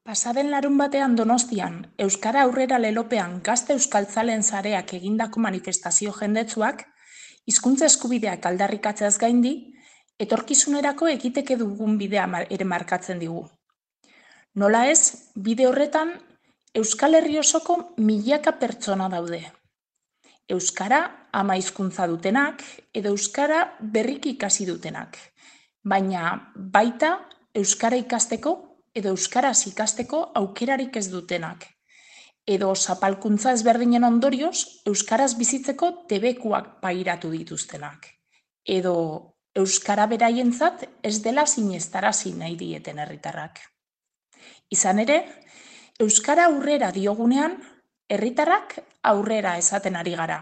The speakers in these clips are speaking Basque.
Pasaden larunbatean Donostian, Euskara Aurrera lelopean Gazte Euskaltzaleen Sareak egindako manifestazio jendetsuak, hizkuntza eskubideak aldarrikatzeaz gaindi, etorkizunerako egiteke dugun bidea ere markatzen digu. Nola ez, bide horretan, Euskal Herri osoko milaka pertsona daude. Euskara ama hizkuntza dutenak edo Euskara berriki ikasi dutenak, baina baita Euskara ikasteko edo Euskaraz ikasteko aukerarik ez dutenak, edo zapalkuntza ezberdinen ondorioz Euskaraz bizitzeko debekuak pairatu dituztenak, edo Euskara beraientzat ez dela sinestarazi nahi dieten herritarrak. Izan ere, Euskara aurrera diogunean, herritarrak aurrera esaten ari gara.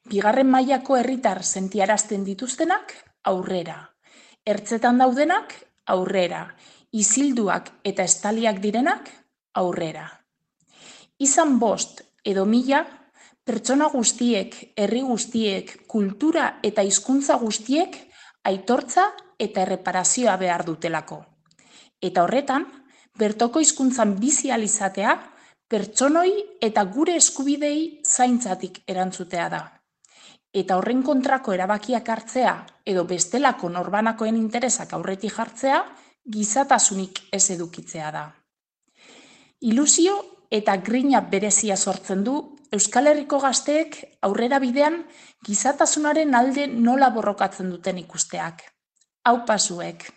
Bigarren mailako herritar sentiarazten dituztenak aurrera. Ertzetan daudenak aurrera. Isilduak eta estaliak direnak aurrera. Izan 5 edo 1000, pertsona guztiek, herri guztiek, kultura eta hizkuntza guztiek aitortza eta erreparazioa behar dutelako. Eta horretan, bertoko hizkuntzan bizi ahal izatea, pertsonoi eta gure eskubidei zaintzatik erantzutea da. Eta horren kontrako erabakiak hartzea edo bestelako norbanakoen interesak aurretik jartzea, gizatasunik ez edukitzea da. Ilusio eta grina berezia sortzen du Euskal Herriko gazteek aurrera bidean gizatasunaren alde nola borrokatzen duten ikusteak. Aupa zuek!